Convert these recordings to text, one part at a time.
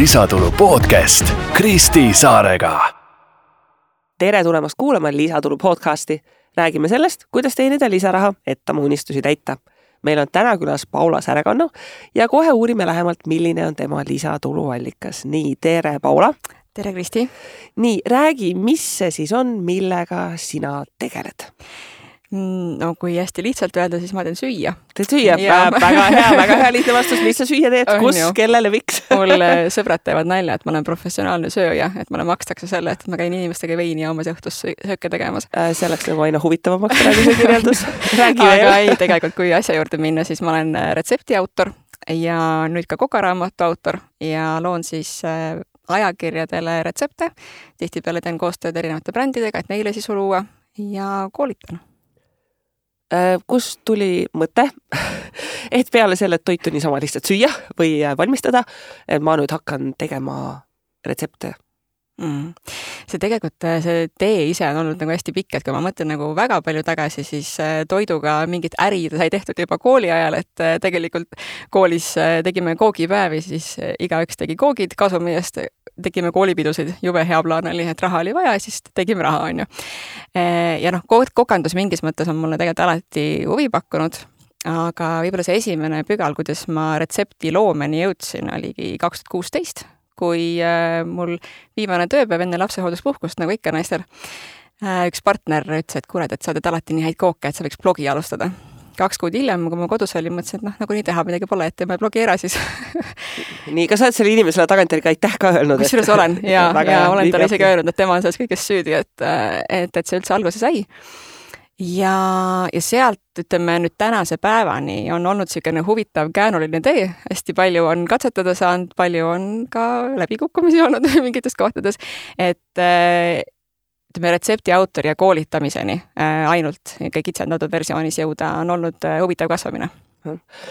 Lisatulu podcast Kristi Saarega. Tere tulemast kuulama Lisatulu podcasti. Räägime sellest, kuidas teenida lisaraha, et oma unistusi täita. Meil on täna külas Paula Särekanno ja kohe uurime lähemalt, milline on tema lisatuluallikas. Nii, tere Paula. Tere Kristi. Nii, räägi, mis see siis on, millega sina tegeled? No kui hästi lihtsalt öelda, siis ma teen süüa. Teed süüa? Väga hea lihtne vastus. Mis sa süüa teed? Kus, kellele, miks? Mul sõbrad teevad nalja, et ma olen professionaalne sööja, et mulle makstakse selle, et ma käin inimestega veini ja omas õhtus sööke tegemas. See läks nagu aina huvitavamaks praegu see kirjeldus. Räägi veel. Aga ei, tegelikult kui asja juurde minna, siis ma olen retsepti autor ja nüüd ka kokaraamatu autor ja loon siis ajakirjadele retsepte. Tihtipeale teen koostööd erinevate brändidega, et neile sisu luua ja koolitan. Kust tuli mõte, et peale selle, et toitu niisama lihtsalt süüa või valmistada, et ma nüüd hakkan tegema retsepte? See tegelikult, see tee ise on olnud nagu hästi pikk, et kui ma mõtlen nagu väga palju tagasi, siis toiduga mingit äri sai tehtud juba kooli ajal, et tegelikult koolis tegime koogipäevi, siis igaüks tegi koogid kasumi eest, tegime koolipidusid, jube hea plaan oli, et raha oli vaja, siis tegime raha, on ju. Ja kokandus mingis mõttes on mulle tegelikult alati huvi pakkunud, aga võib-olla see esimene pügal, kuidas ma retsepti loomeni jõudsin, oligi 2016, kui mul viimane tööpäev enne lapsehoolduspuhkust, nagu ikka naistel, üks partner ütles, et kuuled, et sa teed alati nii häid kooke, et sa võiks blogi alustada. 2 kuud hiljem, kui ma kodus olin, mõtlesin, et nagu nii teha midagi pole, et teeme blogi ära siis. Nii, kas sa oled selle inimesele tagantjärgi aitäh ka öelnud? Kusjuures olen ja olen talle isegi öelnud, et tema on selles kõigest süüdi, et see üldse alguse sai. Ja sealt, ütleme nüüd tänase päevani on olnud selline huvitav käänuline tee, hästi palju on katsetada saanud, palju on ka läbikukkumisi olnud mingites kohtades, et ütleme retsepti autori ja koolitamiseni ainult kitsendatud versioonis jõuda on olnud huvitav kasvamine.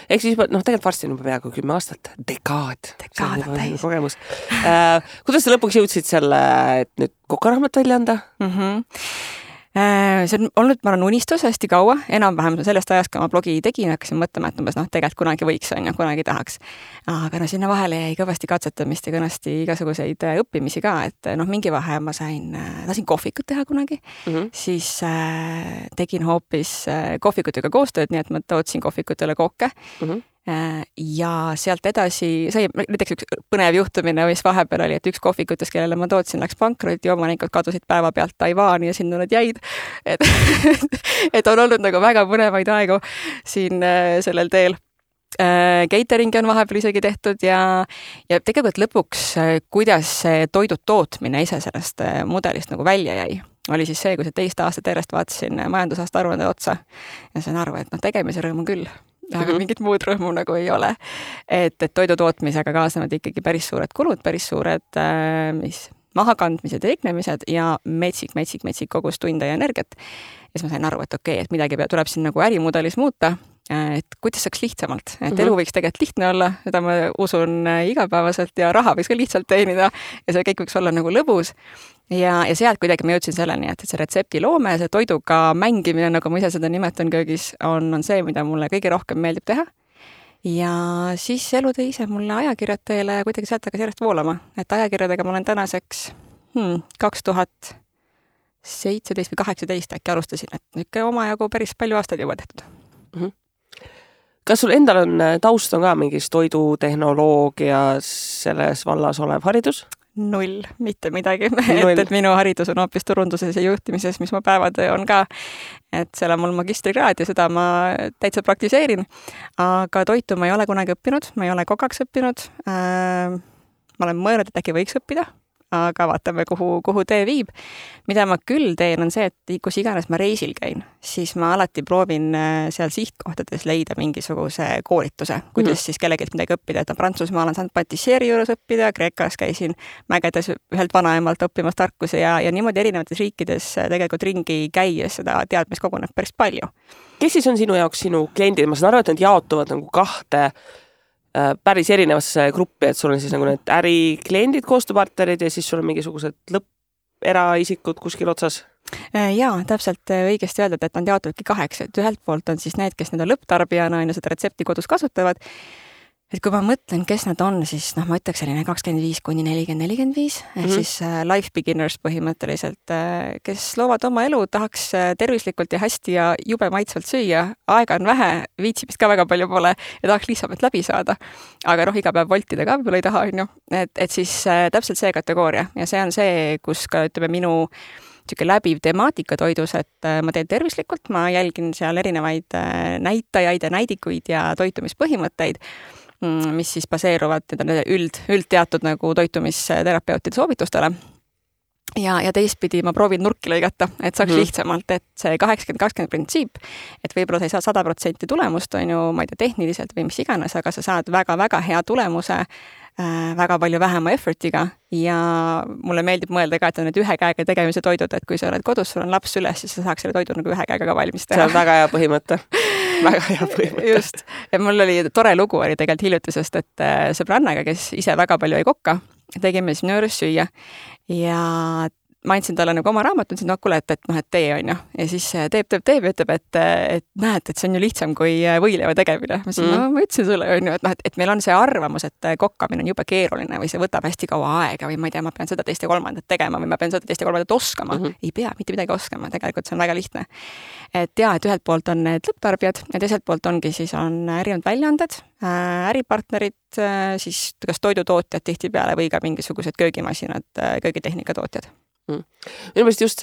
Ehk siis tegelikult varsti on juba peaaegu 10 aastat. Dekaad täis. Kogemus. Kuidas sa lõpuks jõudsid selle, et nüüd kokaraamat välja anda? See on olnud, ma olen unistus hästi kaua, enam-vähem sellest ajast, kui ma blogi tegin, hakkasin mõtlema, et tegelikult kunagi võiks, kunagi tahaks. Aga sinna vahele jäi kõvasti katsetamist ja kõvasti igasuguseid õppimisi ka, et mingi vahe ma tahtsin kohvikut teha kunagi, siis tegin hoopis kohvikutega koostööd, nii et ma tootsin kohvikutele kooke. Ja sealt edasi sai näiteks üks põnev juhtumine, mis vahepeal oli, et üks kohvikutes, kellele ma tootsin, läks pankroti, omanikud kadusid päeva pealt Taiwaani ja sinna nad jäid. Et on olnud nagu väga põnevaid aegu siin sellel teel. Cateringi on vahepeal isegi tehtud ja tegelikult lõpuks, kuidas toidu tootmine ise sellest mudelist nagu välja jäi. Oli siis see, kui see 2 aastat järjest vaatasin majandusaasta aruande otsa ja sain aru, et tegemise rõõm on küll. Aga mingit muud rõõmu nagu ei ole. Et toidu tootmisega kaasnevad ikkagi päris suured kulud, päris suured mahakandmised ja teknemised ja metsik kogus tunde ja energiat. Ja siis ma sain aru, et et midagi tuleb siin nagu ärimudelis muuta, et kuidas saaks lihtsamalt. Et elu võiks tegelikult lihtne olla, seda ma usun igapäevaselt ja raha võiks ka lihtsalt teenida ja see kõik võiks olla nagu lõbus. Ja sealt kuidagi ma jõudsin selleni, et see retsepti loome, see toiduga mängimine, nagu ma ise seda nimetan köögis, on see, mida mulle kõige rohkem meeldib teha. Ja siis elu tõi ise mulle ajakirjad teele ja kuidagi sealt hakkas järjest voolama. Et ajakirjadega ma olen tänaseks 2017 või 18 äkki alustasin, et nüüd omajagu päris palju aastaid juba tehtud. Kas sul endal on taust on ka mingis toidutehnoloogias selles vallas olev haridus? 0, mitte midagi. Et minu haridus on hoopis turunduses ja juhtimises, mis ma päevatöö on ka. Et seal on mul magistrikraad ja seda ma täitsa praktiseerin. Aga toitu ma ei ole kunagi õppinud, ma ei ole kokaks õppinud. Ma olen mõelnud, et äkki võiks õppida, aga vaatame, kuhu tee viib. Mida ma küll teen, on see, et kus iganes ma reisil käin, siis ma alati proovin seal sihtkohtades leida mingisuguse koolituse, kuidas siis kellegi midagi õppida. Et Prantsusmaal on saanud patissieri juures õppida, Kreekas käisin mägedes ühelt vanaemalt õppimas tarkusi ja niimoodi erinevates riikides tegelikult ringi käies seda teadmist koguneb päris palju. Kes siis on sinu jaoks sinu kliendid? Ma saan aru, et nad jaotuvad nagu 2 päris erinevasse gruppi, et sul on siis nagu need ärikliendid, koostööpartnerid ja siis sul on mingisugused eraisikud kuskil otsas? Jaa, täpselt õigesti öeldud, et nad jaotavadki 8. Et ühelt poolt on siis need, kes need on lõpptarbijana ja seda retsepti kodus kasutavad et kui ma mõtlen, kes nad on, siis ma ütleks selline 25 kuni 40-45, ehk siis life beginners põhimõtteliselt, kes loovad oma elu, tahaks tervislikult ja hästi ja jube maitsvalt süüa, aega on vähe, viitsimist ka väga palju pole ja tahaks lihtsalt läbi saada. Aga iga päev voltida ka võib-olla ei taha, on ju. Et siis täpselt see kategooria ja see on see, kus ka minu läbiv temaatika toidus, et ma teen tervislikult, ma jälgin seal erinevaid näitajaid ja näidikuid ja toitumispõhimõtteid, mis siis baseeruvad üldteatud nagu toitumisterapeutide soovitustele. Ja teistpidi ma proovin nurki lõigata, et saaks lihtsamalt, et see 80-20 printsiip, et võib-olla sa ei saa 100% tulemust, on ju, ma ei tea, tehniliselt või mis iganes, aga sa saad väga-väga hea tulemuse väga palju vähema effortiga ja mulle meeldib mõelda ka, et on need ühe käega tegemise toidud, et kui sa oled kodus, sul on laps üles, siis sa saaks selle toidu nagu ühe käega ka valmis teha. See on väga hea põhimõte. Väga hea põhimõte. Just. Ja mul oli tore lugu oli tegelikult hiljutisest, et sõbrannaga, kes ise väga palju ei kokka, tegime siis minu juures süüa ja ma andsin talle nagu oma raamat, ütlesin, kuule, et tee on ju. Ja siis teeb ja ütleb, et näed, et see on ju lihtsam kui võileiva tegemine. Ma ütlesin, ma ütlesin sulle on ju, et meil on see arvamus, et kokkamine on jube keeruline või see võtab hästi kaua aega või ma ei tea, ma pean seda teist ja kolmandat tegema või ma pean seda teist ja kolmandat oskama. Ei pea mitte midagi oskama, tegelikult see on väga lihtne. Et jah, et ühelt poolt on need lõpptarbijad ja teiselt poolt ongi siis on erinevad väljaanded, äripartnerid, siis kas toidutootjad tihtipeale või ka mingisugused köögimasinad, köögitehnika tootjad. Minu meelest just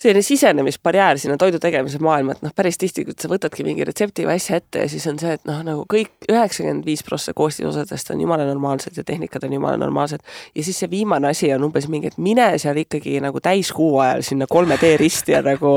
selline sisenemisbarjäär sinna toidu tegemise maailma, et päris tihti, kui sa võtadki mingi retsepti või asja ette ja siis on see, et nagu kõik 95% koostisosadest on jumala normaalsed ja tehnikad on jumala normaalsed ja siis see viimane asi on umbes mingi, et mine seal ikkagi nagu täiskuu ajal sinna 3D risti ja nagu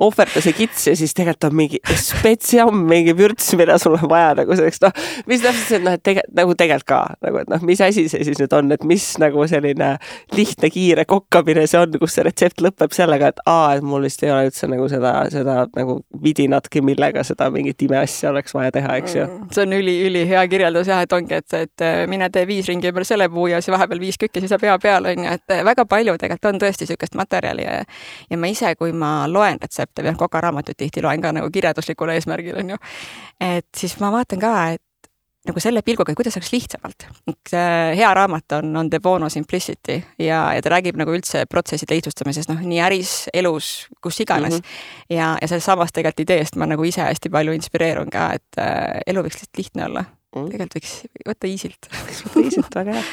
ohverda see kits ja siis tegelikult on mingi spetsiam, mingi vürts, mida sul on vaja nagu selleks, mis täpselt see, et tegelikult ka, nagu, et mis asi see siis nüüd on, et mis nagu selline lihtne, kiire kokkamine see on, kus see retsept lõpeb sellega, et et mul vist ei ole üldse nagu seda nagu vidinatki, millega seda mingit imeasja oleks vaja teha, eks ju. See on üli hea kirjeldus jah, et ongi, et mine tee 5 ringi ümber selle puu ja siis vahepeal 5 kükki, siis sa pea peal on ju, et väga palju tegelikult on tõesti niisugust materjali ja ma ise, kui ma loen retsepte või kokaraamatut tihti loen ka nagu kirjelduslikul eesmärgil on ju, et siis ma vaatan ka, et nagu selle pilguga, kuidas oleks lihtsamalt. Hea raamat on De Bono Simplicity ja ta räägib nagu üldse protsesside lihtsustamisest, nii äris, elus, kus iganes. Ja sellest samast tegelikult ideest ma nagu ise hästi palju inspireerun ka, et elu võiks lihtne olla. Tegelikult võiks võtta easilt. Väga hea.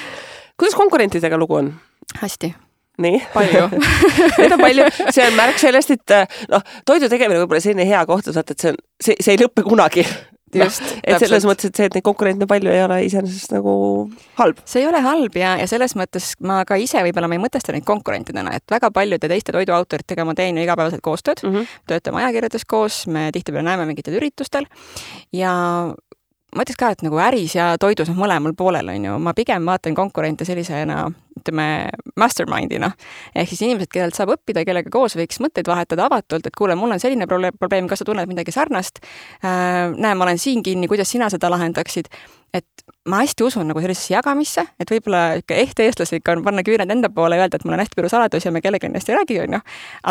Kuidas konkurentidega lugu on? Hästi. Nii. Palju. Need on palju. See on märk sellest, et toidu tegemine võib-olla selline hea koht, et see ei lõppe kunagi. Just, et selles mõttes, et see, et neid konkurente palju ei ole iseenesest nagu halb. See ei ole halb ja selles mõttes ma ka ise võib-olla ma ei mõtesta neid konkurentidena, et väga paljude teiste toiduautoritega ma teen ju igapäevaselt koostööd, töötame ajakirjades koos, me tihtipeale näeme mingitel üritustel ja ma ütleks ka, et nagu äris ja toidus on mõlemal poolel, on ju. Ma pigem vaatan konkurente sellisena, ütleme, mastermindina. Ehk siis inimesed, kellelt saab õppida, kellega koos võiks mõtteid vahetada avatult, et kuule, mul on selline probleem, kas sa tunned midagi sarnast? Näe, ma olen siin kinni, kuidas sina seda lahendaksid? Et ma hästi usun nagu sellisesse jagamisse, et võib-olla eestlaslik on panna küüned enda poole ja öelda, et mul on hästi palju saladus ja me kellega ennast ei räägi, on ju.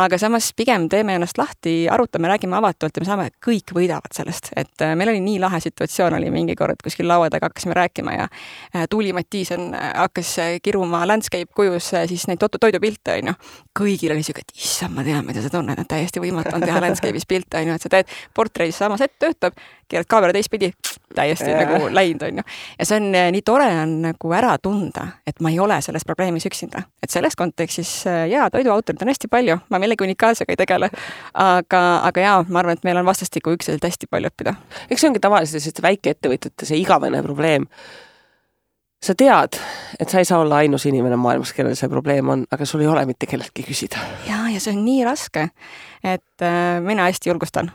Aga samas pigem teeme ennast lahti, arutame, räägime avatult ja me saame, kõik võidavad sellest. Et meil oli nii lahe situatsioon oli mingi kord kuskil laua taga hakkasime rääkima ja Tuuli Mattiisen hakkas kiruma landscape kujus siis neid toidupilte, on ju. Kõigil oli siuke, et issand, ma tean, mida sa tunned, et täiesti võimatu on teha landscape'is pilte, on ju, et sa teed portreis samas ette töötab, keerad kaamera teistpidi, täiesti nagu läinud, on ju. Ja see on nii tore on nagu ära tunda, et ma ei ole selles probleemis üksinda. Et selles kontekstis, toiduautorid on hästi palju, ma millegi unikaalsega ei tegele, aga ma arvan, et meil on vastastikku ükselt hästi palju õppida. Eks see ongi tavaliselt väikeettevõtjate see igavene probleem. Sa tead, et sa ei saa olla ainus inimene maailmas, kellel see probleem on, aga sul ei ole mitte kelleltki küsida. Ja see on nii raske, et mina hästi julgustan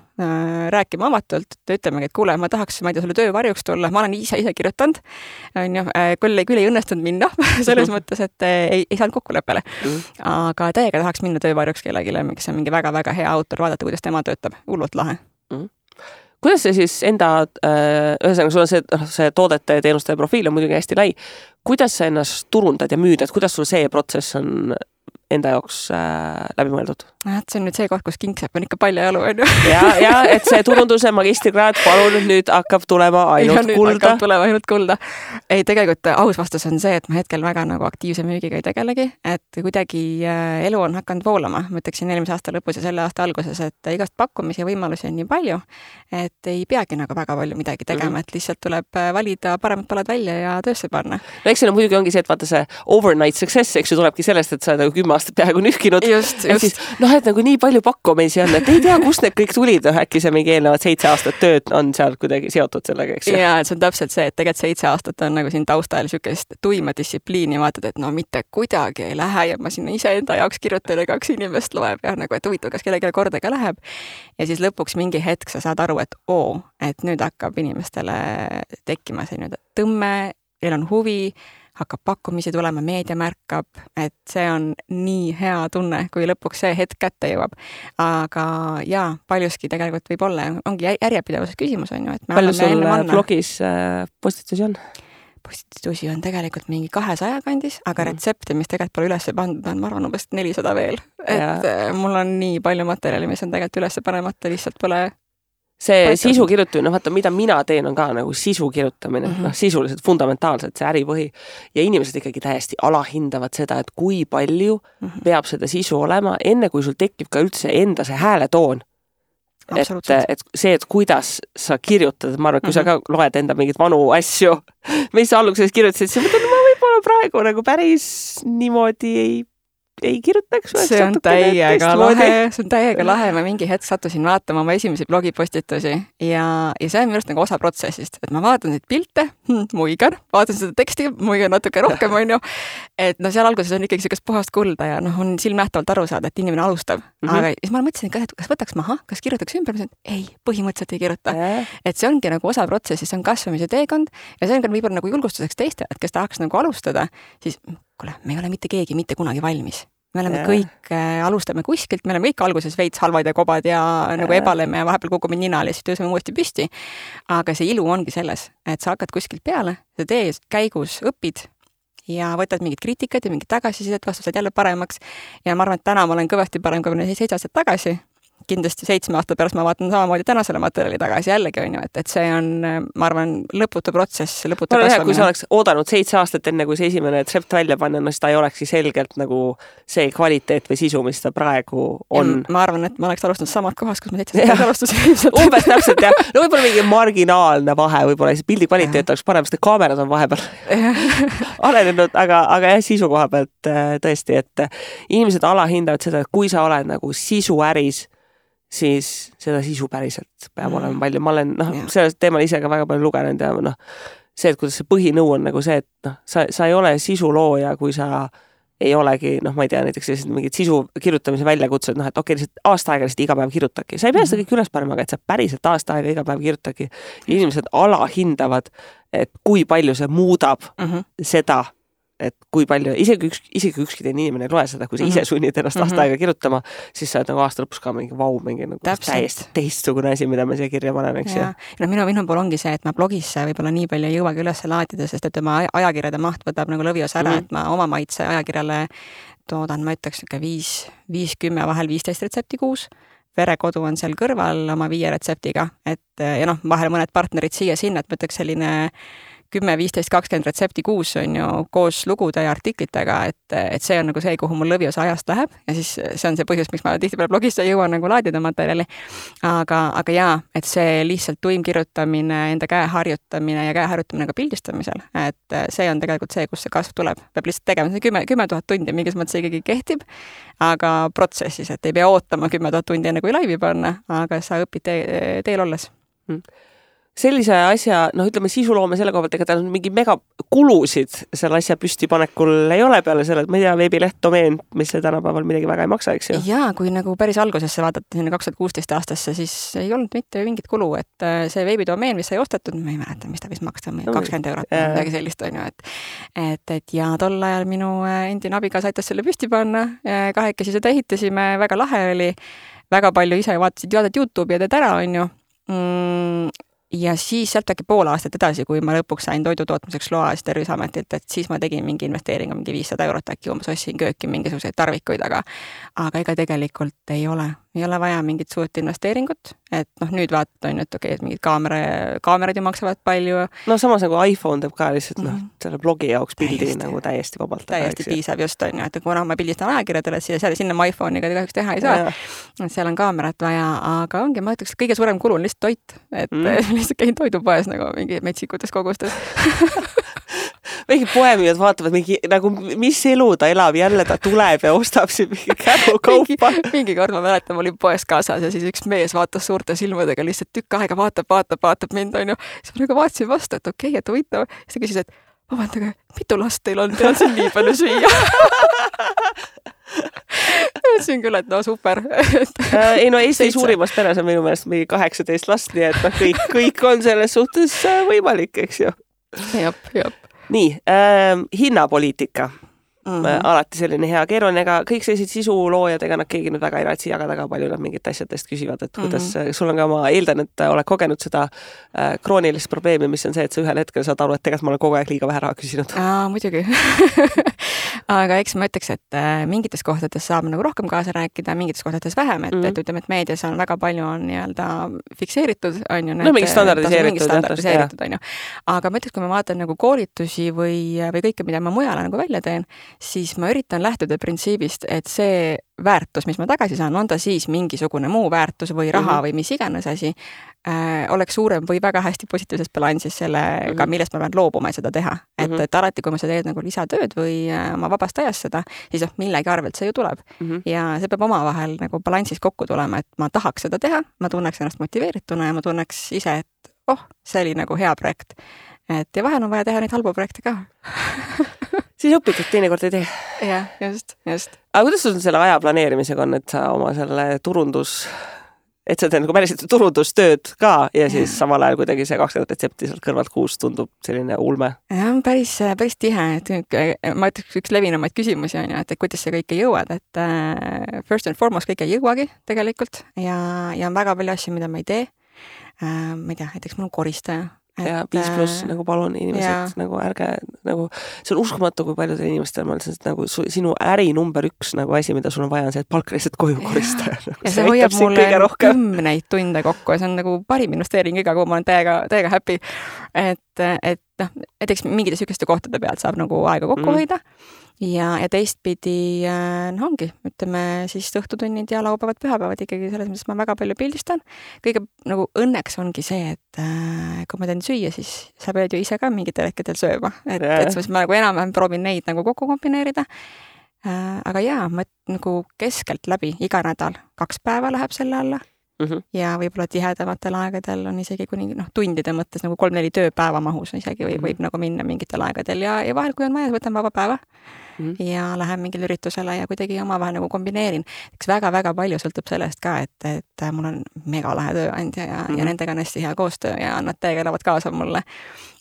rääkima avatult, et ütlemegi, et kuule, ma tahaks, ma ei tea, sulle töövarjuks tulla, ma olen ise kirjutanud, küll ei õnnestunud minna, selles mõttes, et ei saanud kokkuleppele. Aga täiega tahaks minna töövarjuks kellegile, kes on mingi väga-väga hea autor, vaadata, kuidas tema töötab, hullult lahe. Kuidas see siis enda, ühesõnaga sul on see toodete ja teenuste profiil on muidugi hästi lai. Kuidas sa ennast turundad ja müüd, et kuidas sul see protsess on enda jaoks läbi mõeldud? See on nüüd see koht, kus kingsepp on ikka palju jalu, on ju. ja, et see turunduse magistrikraad palun nüüd hakkab tulema ainult kulda. Ei, tegelikult aus vastus on see, et ma hetkel väga nagu aktiivse müügiga ei tegelegi, et kuidagi elu on hakanud voolama. Ma ütleksin eelmise aasta lõpus ja selle aasta alguses, et igast pakkumisi ja võimalusi on nii palju, et ei peagi nagu väga palju midagi tegema, et lihtsalt tuleb valida paremad palad välja ja töösse panna. No eks see muidugi ongi see, et vaata see overnight success, eks ju tulebki sellest, et sa oled nagu 10 aastat peaaegu nühkinud. Just. Et nagu nii palju pakkumisi on, et ei tea, kust need kõik tulid, äkki see mingi eelnevad 7 aastat tööd on seal kuidagi seotud sellega, eks ju. Ja, et see on täpselt see, et tegelikult 7 aastat on nagu siin taustal sükest tuima distsipliini, vaatad, et no mitte kuidagi ei lähe ja ma sinna ise enda jaoks kirjutan ja 2 inimest loeb ja nagu, et huvitav, kas kellelegi korda ka läheb. Ja siis lõpuks mingi hetk sa saad aru, et nüüd hakkab inimestele tekkima see nüüd tõmme, neil on huvi, hakkab pakkumisi tulema, meedia märkab, et see on nii hea tunne, kui lõpuks see hetk kätte jõuab. Aga jaa, paljuski tegelikult võib olla, ongi järjepidevuses küsimus, on ju. Palju sul blogis postitusi on? Postitusi on tegelikult mingi 200 kandis, aga retsepte, mis tegelikult pole üles pandud, on ma arvan umbes 400 veel. Et mul on nii palju materjali, mis on tegelikult üles panemata, lihtsalt pole see sisu kirjutamine, vaata, mida mina teen, on ka nagu sisu kirjutamine, sisuliselt fundamentaalselt see äripõhi ja inimesed ikkagi täiesti alahindavad seda, et kui palju peab seda sisu olema, enne kui sul tekib ka üldse enda see hääletoon. Et see, et kuidas sa kirjutad, ma arvan, et kui sa ka loed enda mingid vanu asju, mis sa alguses kirjutasid, siis mõtled, ma võib-olla praegu nagu päris niimoodi ei kirjutaks. See on täiega lahe. Ma mingi hetk sattusin vaatama oma esimesi blogipostitusi ja see on minu arust nagu osa protsessist, et ma vaatan neid pilte, muigan, vaatan seda teksti, muigan natuke rohkem, on ju. Et seal alguses on ikkagi sellist puhast kulda ja on silmnähtavalt aru saada, et inimene alustab. Aga siis ma mõtlesin, et kas võtaks maha, kas kirjutaks ümber, ei, põhimõtteliselt ei kirjuta. Et see ongi nagu osa protsessist, see on kasvamise teekond ja see on ka võib-olla nagu julgustuseks teistele, et kes tahaks nagu alustada, siis kuule, me ei ole mitte keegi mitte kunagi valmis. Me oleme kõik, alustame kuskilt, me oleme kõik alguses veits halvad ja kobad ja nagu ebaleme ja vahepeal kukume ninal ja siis tõuseme uuesti püsti. Aga see ilu ongi selles, et sa hakkad kuskilt peale, sa tee käigus õpid ja võtad mingid kriitikat ja mingid tagasisidet, vastused jälle paremaks. Ja ma arvan, et täna ma olen kõvasti parem kui 7 aastat tagasi. Kindlasti 7 aasta pärast ma vaatan samamoodi tänasele materjali tagasi jällegi, on ju, et see on, ma arvan, lõputu protsess, lõputu kasvamine. Kui sa oleks oodanud 7 aastat enne, kui see esimene retsept välja panna, no siis ta ei olekski selgelt nagu see kvaliteet või sisu, mis ta praegu on. Ja ma arvan, et ma oleks alustanud samad kohas, kus ma 7 aastat alustasin. Umbes täpselt, jah. No võib-olla mingi marginaalne vahe, võib-olla pildi kvaliteet oleks parem, sest kaamerad on vahepeal arenenud, aga jah, sisu koha pealt tõesti, et inimesed alahindavad seda, et kui sa oled nagu sisuäris, siis seda sisu päriselt peab olema palju. Ma olen sellest teemal ise ka väga palju lugenud ja see, et kuidas see põhinõu on nagu see, et sa ei ole sisulooja, kui sa ei olegi, ma ei tea, näiteks mingid sisu kirjutamise väljakutsed, et okei, lihtsalt aasta aega lihtsalt iga päev kirjutaki. Sa ei pea seda kõik üles panema, aga et sa päriselt aasta aega iga päev kirjutaki. Inimesed alahindavad, et kui palju see muudab seda, et kui palju, isegi ükski teine inimene ei loe seda, kui sa ise sunnid ennast aasta aega kirjutama, siis sa oled nagu aasta lõpus ka mingi mingi nagu täiesti teistsugune asi, mida ma siia kirja panen, eks ju. No minu pool ongi see, et ma blogisse võib-olla nii palju ei jõuagi üles laadida, sest et oma ajakirjade maht võtab nagu lõvios ära, et ma oma maitse ajakirjale toodan, ma ütleks 5-10, vahel 15 retsepti kuus. Verekodu on seal kõrval oma 5 retseptiga, et ja vahel mõned partnerid siia-sinna, et ma ütleks selline 10, 15, 20 retsepti kuus on ju koos lugude ja artiklitega, et see on nagu see, kuhu mul lõviosa ajast läheb ja siis see on see põhjus, miks ma tihtipeale blogisse ei jõua nagu laadida materjali. Aga jaa, et see lihtsalt tuim kirjutamine, enda käe harjutamine ja käe harjutamine ka pildistamisel, et see on tegelikult see, kus see kasv tuleb. Peab lihtsalt tegema see 10 000 tundi, mingis mõttes ikkagi kehtib, aga protsessis, et ei pea ootama 10 000 tundi enne kui laivi panna, aga sa õpid teel olles. Sellise asja, ütleme sisuloome selle koha pealt, ega tal mingi mega kulusid selle asja püstipanekul ei ole peale selle, et ma ei tea, veebileht, domeen, mis see tänapäeval midagi väga ei maksa, eks ju? Jaa, kui nagu päris algusesse vaadata sinna 2016 aastasse, siis ei olnud mitte mingit kulu, et see veebidomeen, mis sai ostetud, ma ei mäleta, mis ta vist maksta, 20 €, midagi sellist on ju, et ja tol ajal minu endine abigas aitas selle püsti panna, kahekesi seda ehitasime, väga lahe oli, väga palju ise vaatasid YouTube'i ja teed ära, on ju. ja siis sealt äkki pool aastat edasi, kui ma lõpuks sain toidu tootmiseks loa Terviseametilt, et siis ma tegin mingi investeeringu, mingi 500 eurot äkki umbes ostsin kööki mingisuguseid tarvikuid, aga ega tegelikult ei ole vaja mingit suurt investeeringut, et nüüd vaatad on, et okei, et mingid kaamerad ju maksavad palju. No samas nagu iPhone teeb ka lihtsalt selle blogi jaoks pildi nagu täiesti vabalt. Täiesti piisab just on ju, et kuna ma pildistan ajakirjadele, siis sinna ma iPhone'iga kahjuks teha ei saa. Seal on kaamerat vaja, aga ongi, ma ütleks, kõige suurem kulu on lihtsalt toit, et lihtsalt käin toidupoes nagu mingi metsikutes kogustes. Mingi poemüüjad vaatavad nagu, mis elu ta elab, jälle ta tuleb ja ostab siin mingi kärukaupa. mingi kord ma mäletan, ma olin poes kaasas ja siis üks mees vaatas suurte silmadega lihtsalt tükk aega, vaatab mind, on ju. Siis ma nagu vaatasin vastu, et okei, et huvitav. Siis ta küsis, et vabandage, mitu last teil on siin nii palju süüa? Ütlesin küll, et no super. Ei no Eesti suurimas peres on minu meelest mingi 18 last, nii et kõik on selles suhtes võimalik, eks ju. Jop. Nii, hinnapoliitika. Alati selline hea keeruline, ega kõik sellised sisuloojad, ega nad keegi nüüd väga ei raatsi jagada, aga palju nad mingit asjadest küsivad, et kuidas sul on ka, ma eeldan, et oled kogenud seda kroonilist probleemi, mis on see, et sa ühel hetkel saad aru, et tegelikult ma olen kogu aeg liiga vähe raha küsinud. Muidugi. Aga eks ma ütleks, et mingites kohtades saab nagu rohkem kaasa rääkida, mingites kohtades vähem, et ütleme, et meedias on väga palju on nii-öelda fikseeritud, on ju. No mingi standardiseeritud, on ju. Aga ma ütleks, kui ma vaatan nagu koolitusi või kõike, mida ma mujale nagu välja teen, siis ma üritan lähtuda printsiibist, et see väärtus, mis ma tagasi saan, on ta siis mingisugune muu väärtus või raha või mis iganes asi, oleks suurem või väga hästi positiivses balansis sellega, millest ma pean loobuma, et seda teha. Et alati, kui ma seda teed nagu lisatööd või oma vabast ajast seda, siis millegi arvelt see ju tuleb. Ja see peab omavahel nagu balansis kokku tulema, et ma tahaks seda teha, ma tunneks ennast motiveerituna ja ma tunneks ise, et see oli nagu hea projekt. Ja vahel on vaja teha neid halbu projekte ka. Siis õpid, et teinekord ei tee. Jah, just. Aga kuidas sul selle aja planeerimisega on, et sa oma selle et sa teed nagu päriselt turundustööd ka ja siis samal ajal kuidagi see 20 retsepti sealt kõrvalt kuus tundub selline ulme? Ja, päris tihe. Ma ütleks üks levinumaid küsimusi on ju, et kuidas sa kõike jõuad, et first and foremost kõike ei jõuagi tegelikult ja on väga palju asju, mida ma ei tee. Ma ei tea, näiteks mul on koristaja. Ja 5+ nagu palun inimesed, nagu ärge, nagu see on uskumatu, kui paljudel inimestel on nagu sinu äri number 1 nagu asi, mida sul on vaja, on see, et palk lihtsalt koju koristaja. Nagu ja see hoiab mulle 10 tunde kokku ja see on nagu parim investeering iga, kui ma olen täiega happy. Et näiteks mingite sükeste kohtade pealt saab nagu aega kokku hoida. Ja teistpidi ongi, ütleme siis õhtutunnid ja laupäevad, pühapäevad ikkagi selles mõttes ma väga palju pildistan. Kõige nagu õnneks ongi see, et kui ma teen süüa, siis sa pead ju ise ka mingitel hetkedel sööma. Et siis ma nagu enam proovin neid nagu kokku kombineerida. Aga ma nagu keskelt läbi iga nädal 2 päeva läheb selle alla. Ja võib-olla tihedamatel aegadel on isegi kuni tundide mõttes nagu 3-4 tööpäeva mahus isegi võib nagu minna mingitel aegadel ja vahel, kui on vaja, võtan vaba päeva ja lähen mingil üritusele ja kuidagi omavahel nagu kombineerin. Eks väga-väga palju sõltub sellest ka, et mul on mega lahe tööandja ja nendega on hästi hea koostöö ja nad täiega elavad kaasa mulle.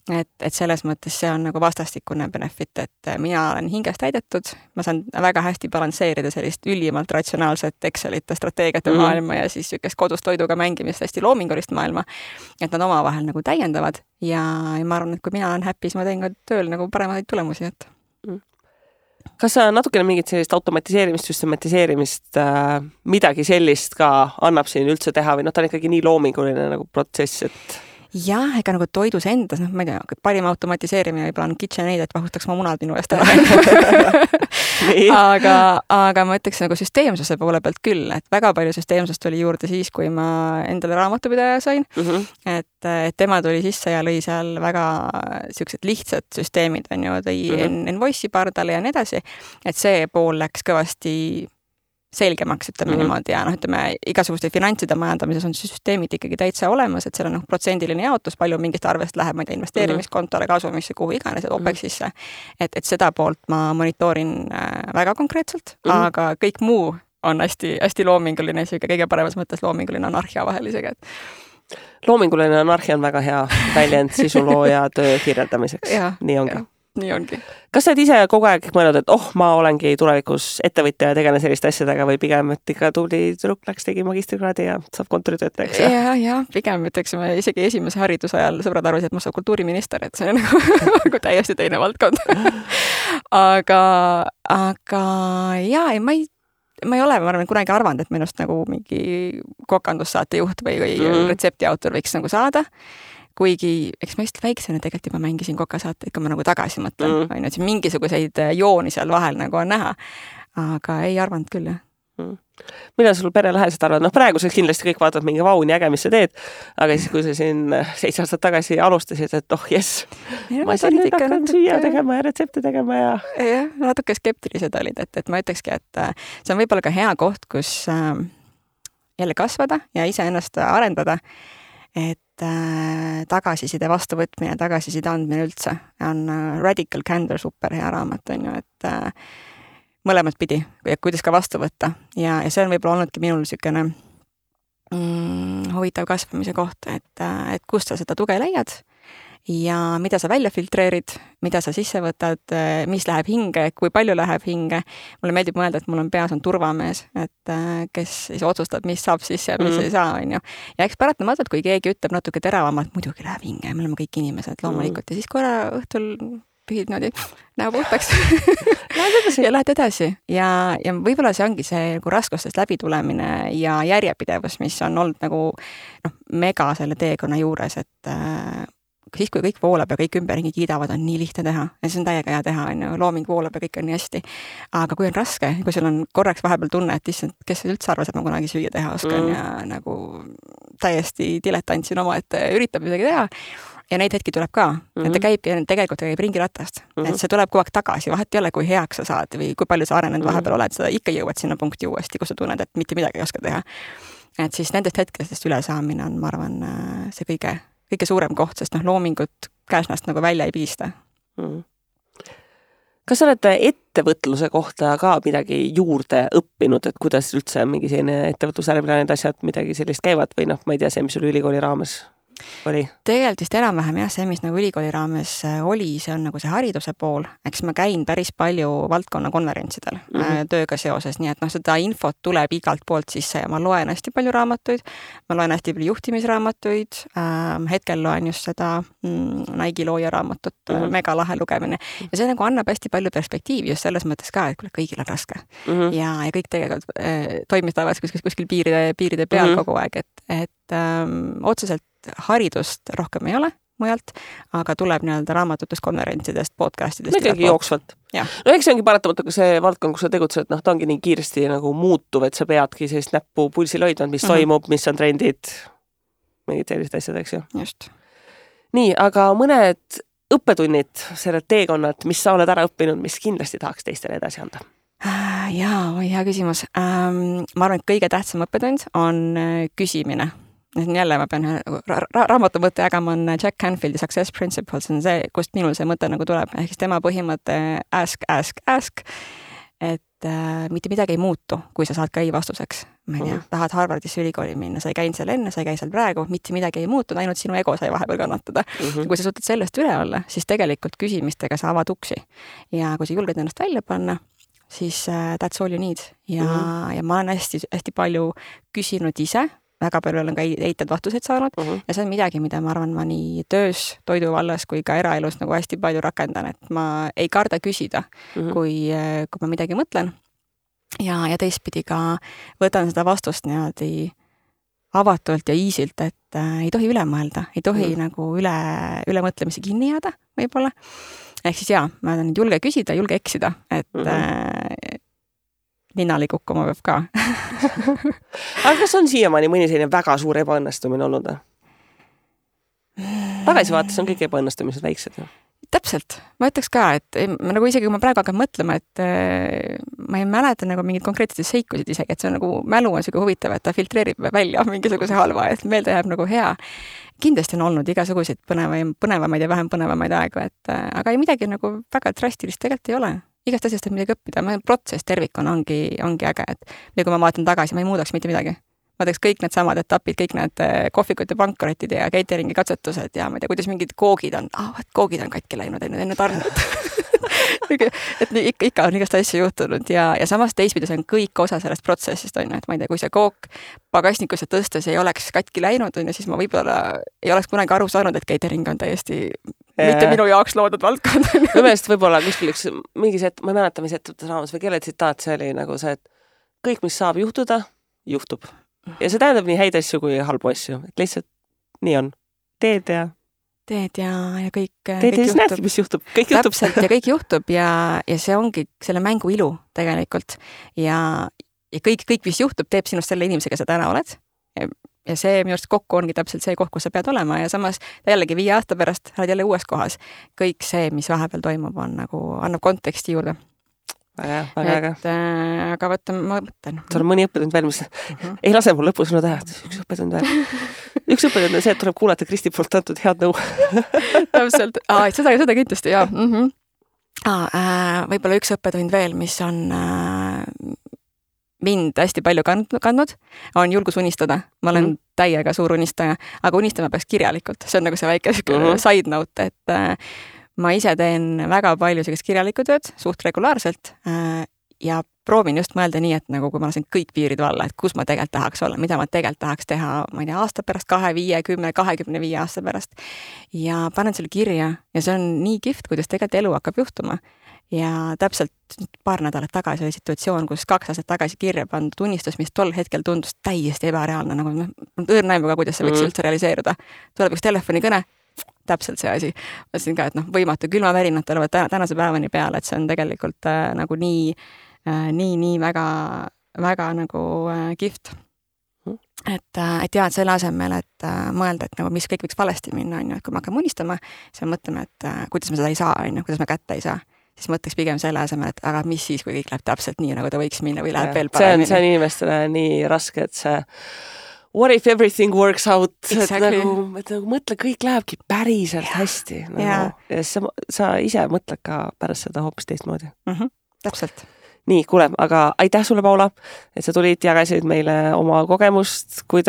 Et selles mõttes see on nagu vastastikune benefit, et mina olen hingest täidetud, ma saan väga hästi balansseerida sellist ülimalt ratsionaalset Excelite strateegiate maailma ja siis sükest kodus toiduga mängimist hästi loomingulist maailma, et nad omavahel nagu täiendavad ja ma arvan, et kui mina olen happy, siis ma teen ka tööl nagu paremaid tulemusi, et Kas sa natukene mingit sellist automatiseerimist, süstematiseerimist, midagi sellist ka annab siin üldse teha või ta on ikkagi nii loominguline nagu protsess, et jah, ega nagu toidus endas, ma ei tea, parim automatiseerimine võib-olla on KitchenAid, et vahustaks ma munad minu eest ära. aga ma ütleks nagu süsteemsuse poole pealt küll, et väga palju süsteemsust tuli juurde siis, kui ma endale raamatupidaja sain. Et tema tuli sisse ja lõi seal väga siuksed lihtsad süsteemid, on ju, tõi Envoice'i pardale ja nii edasi. Et see pool läks kõvasti selgemaks, ütleme niimoodi ja ütleme, igasuguste finantside majandamises on süsteemid ikkagi täitsa olemas, et seal on protsendiline jaotus, palju mingist arvest läheb, ma ei tea, investeerimiskontole, kasumisse, kuhu iganes, OPEX-isse. Et seda poolt ma monitoorin väga konkreetselt, aga kõik muu on hästi loominguline, kõige paremas mõttes loominguline anarhia vahel isegi. Loominguline anarhia on väga hea väljend sisulooja töö kirjeldamiseks. Nii ongi. nii ongi. Kas sa oled ise kogu aeg mõelnud, et ma olengi tulevikus ettevõtja ja tegelen selliste asjadega või pigem, et ikka tuli tüdruk läks, tegi magistrikraadi ja saab kontoritöötajaks? Ja pigem ütleksime isegi esimese hariduse ajal sõbrad arvasid, et ma saan kultuuriminister, et see on nagu täiesti teine valdkond. aga jaa, ma ei ole, ma arvan, kunagi arvanud, et minust nagu mingi kokandussaate juht või retseptiautor võiks nagu saada. Kuigi, eks ma just väiksena tegelikult juba mängisin kokasaateid, kui ma nagu tagasi mõtlen. Et siin mingisuguseid jooni seal vahel nagu on näha. Aga ei arvanud küll, jah. Millal sul perelähedased arvad? Praeguseks kindlasti kõik vaatavad mingi vau, nii äge, mis sa teed. Aga siis, kui sa siin 7 aastat tagasi alustasid, et jess, ma siin nüüd hakkan süüa tegema ja retsepte tegema ja... Jah, natuke skeptilised olid, et ma ütlekski, et see on võib-olla ka hea koht, kus jälle kasvada ja ise ennast arendada, et tagasiside vastuvõtmine, tagasiside andmine üldse on Radical Candor super hea raamat, on ju, et mõlemat pidi, kuidas ka vastu võtta. Ja see on võib-olla olnudki minul niisugune huvitav kasvamise koht, et kust sa seda tuge leiad ja mida sa välja filtreerid, mida sa sisse võtad, mis läheb hinge, kui palju läheb hinge. Mulle meeldib mõelda, et mul on peas on turvamees, et kes siis otsustab, mis saab sisse ja mis ei saa, on ju. Ja eks paratamatult, kui keegi ütleb natuke teravamalt, muidugi läheb hinge, me oleme kõik inimesed loomulikult ja siis korra õhtul pühid niimoodi näo puhtaks ja lähed edasi. Ja võib-olla see ongi see nagu raskustest läbitulemine ja järjepidevus, mis on olnud nagu mega selle teekonna juures, et siis, kui kõik voolab ja kõik ümberringi kiidavad, on nii lihtne teha. Ja see on täiega hea teha, on ju, looming voolab ja kõik on nii hästi. Aga kui on raske, kui sul on korraks vahepeal tunne, et issand, kes üldse arvas, et ma kunagi süüa teha oskan ja nagu täiesti diletant siin oma, et üritab midagi teha. Ja neid hetki tuleb ka, et ta tegelikult käib ringiratast. Et see tuleb kogu aeg tagasi, vahet ei ole, kui heaks sa saad või kui palju sa arenenud vahepeal oled, sa ikka jõuad sinna punkti uuesti, kus sa tunned, et mitte midagi ei oska teha. Et siis nendest hetkestest ülesaamine on, ma arvan, see kõige suurem koht, sest loomingut käsnast nagu välja ei piista. Kas sa oled ettevõtluse kohta ka midagi juurde õppinud, et kuidas üldse mingi selline ettevõtlusärmine need asjad midagi sellist käivad või ma ei tea, see, mis sul ülikooli raames oli? Tegelikult vist enam-vähem jah, see, mis nagu ülikooli raames oli, see on nagu see hariduse pool. Eks ma käin päris palju valdkonna konverentsidel tööga seoses, nii et seda infot tuleb igalt poolt sisse ja ma loen hästi palju raamatuid, ma loen hästi palju juhtimisraamatuid, hetkel loen just seda Nike looja raamatut, mega lahe lugemine ja see nagu annab hästi palju perspektiivi just selles mõttes ka, et kõigil on raske ja kõik tegelikult toimistavad kuskil piiride peal kogu aeg, et otseselt haridust rohkem ei ole mujalt, aga tuleb nii-öelda raamatutest, konverentsidest, podcastidest. Ikkagi jooksvalt. No eks see ongi paratamatu, kui see valdkond, kus sa tegutsed, ta ongi nii kiiresti nagu muutuv, et sa peadki sellist näppu pulsil hoidnud, mis toimub, mis on trendid, mingid sellised asjad, eks ju. Just. Nii, aga mõned õppetunnid, selle teekonnad, mis sa oled ära õppinud, mis kindlasti tahaks teistele edasi anda? Jaa, hea küsimus. Ma arvan, et kõige tähtsam õppetund on küsimine. Jälle ma pean raamatu mõtte jagama on Jack Canfieldi Success Principles, on see, kust minul see mõte nagu tuleb. Ehk siis tema põhimõte ask, et mitte midagi ei muutu, kui sa saad ka ei vastuseks. Ma ei tea, tahad Harvardisse ülikooli minna, sa ei käinud seal enne, sa ei käi seal praegu, mitte midagi ei muutu, ainult sinu ego sai vahepeal kannatada. Kui sa suudad sellest üle olla, siis tegelikult küsimistega sa avad uksi. Ja kui sa julged ennast välja panna, siis that's all you need. Ja ma olen hästi palju küsinud ise, väga palju olen ka eitad vastuseid saanud ja see on midagi, mida ma arvan, ma nii töös, toidu vallas kui ka eraelus nagu hästi palju rakendan, et ma ei karda küsida, kui ma midagi mõtlen ja teistpidi ka võtan seda vastust niimoodi avatult ja easylt, et ei tohi üle mõelda, ei tohi nagu üle mõtlemisi kinni jääda võib-olla. Ehk siis ma olen julge küsida, julge eksida, et ninali kukkuma peab ka. Aga kas on siiamaani mõni selline väga suur ebaõnnestumine olnud? Tagasivaates on kõik ebaõnnestumised väiksed. Täpselt. Ma ütleks ka, et nagu isegi kui ma praegu hakkan mõtlema, et ma ei mäleta nagu mingid konkreetseid seikusid isegi, et see on nagu mälu on selline huvitav, et ta filtreerib välja mingisuguse halva, et meelde jääb nagu hea. Kindlasti on olnud igasuguseid põnevamaid ja vähem põnevamaid aegu, aga ei midagi nagu väga drastilist tegelikult ei ole. Igast asjast on midagi õppida, protsess tervikuna ongi äge, et kui ma vaatan tagasi, ma ei muudaks mitte midagi. ma teeks kõik need samad etapid, kõik need kohvikute pankrottid ja cateringi katsetused ja ma ei tea, kuidas mingid koogid on, koogid on katki läinud enne tarnet. et ikka on igast asju juhtunud ja samas teistpidi see on kõik osa sellest protsessist, on ju, et ma ei tea, kui see kook pagasnikusse tõstes ei oleks katki läinud, on ju, siis ma võib-olla ei oleks kunagi aru saanud, et catering on täiesti mitte minu jaoks loodud valdkond. Minu meelest võib-olla kuskil üks mingi ma ei mäleta, mis ettevõttes raames või kelle tsitaat see oli nagu see, et kõik, mis saab juhtuda, juhtub. Ja see tähendab nii häid asju kui halbu asju, et lihtsalt nii on. Teed ja kõik juhtub. Näedki, mis juhtub, kõik juhtub. Täpselt ja kõik juhtub ja see ongi selle mängu ilu tegelikult ja kõik, mis juhtub, teeb sinust selle inimesega, sa täna oled ja see minu arust kokku ongi täpselt see koht, kus sa pead olema ja samas jällegi 5 aasta pärast oled jälle uues kohas. Kõik see, mis vahepeal toimub, on nagu, annab konteksti juurde. Väga. Aga võtta, ma mõtlen. Sul on mõni õppetund veel, mis ei lase mul lõpus no teha. Üks õppetund veel. Üks õppetund on see, et tuleb kuulata Kristi poolt antud head nõu. Täpselt. Seda kindlasti, jaa. Võib-olla üks õppetund veel, mis on mind hästi palju kandnud, on julgus unistada. Ma olen täiega suur unistaja, aga unistama peaks kirjalikult. See on nagu see väike side note, et ma ise teen väga palju sellist kirjalikku tööd, suht regulaarselt ja proovin just mõelda nii, et nagu kui ma lasen kõik piirid valla, et kus ma tegelikult tahaks olla, mida ma tegelikult tahaks teha, ma ei tea, aasta pärast, 2, 5, 10, 25 aasta pärast. Ja panen selle kirja ja see on nii kihvt, kuidas tegelikult elu hakkab juhtuma. Ja täpselt paar nädalat tagasi oli situatsioon, kus 2 aastat tagasi kirja pandud unistus, mis tol hetkel tundus täiesti ebareaalne, nagu õõrnaimuga, kuidas see võiks üldse realiseerida. Tuleb üks telefonikõne, täpselt see asi. Ma ütlesin ka, et võimatu, külmavärinad tulevad tänase päevani peale, et see on tegelikult nagu nii väga nagu kihvt. Et jaa, et selle asemel, et mõelda, et nagu mis kõik võiks valesti minna, on ju, et kui me hakkame unistama, siis me mõtleme, et kuidas me seda ei saa, on ju, kuidas me kätte ei saa. Siis mõtleks pigem selle asemel, et aga mis siis, kui kõik läheb täpselt nii, nagu ta võiks minna või läheb veel paremini. See on inimestele nii raske, et see what if everything works out, exactly. et nagu mõtle, kõik lähebki päriselt hästi. Nagu, ja sa ise mõtled ka pärast seda hoopis teistmoodi. Täpselt. Nii, kuule, aga aitäh sulle, Paula, et sa tulid, jagasid meile oma kogemust, kui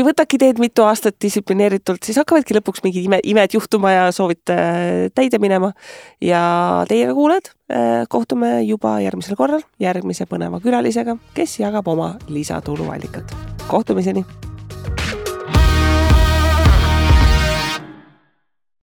võtadki teed mitu aastat distsiplineeritult, siis hakkavadki lõpuks mingi imed juhtuma ja soovite täide minema. Ja teiega kuuled, kohtume juba järgmisel korral, järgmise põneva külalisega, kes jagab oma lisatuluallikat. Kohtumiseni!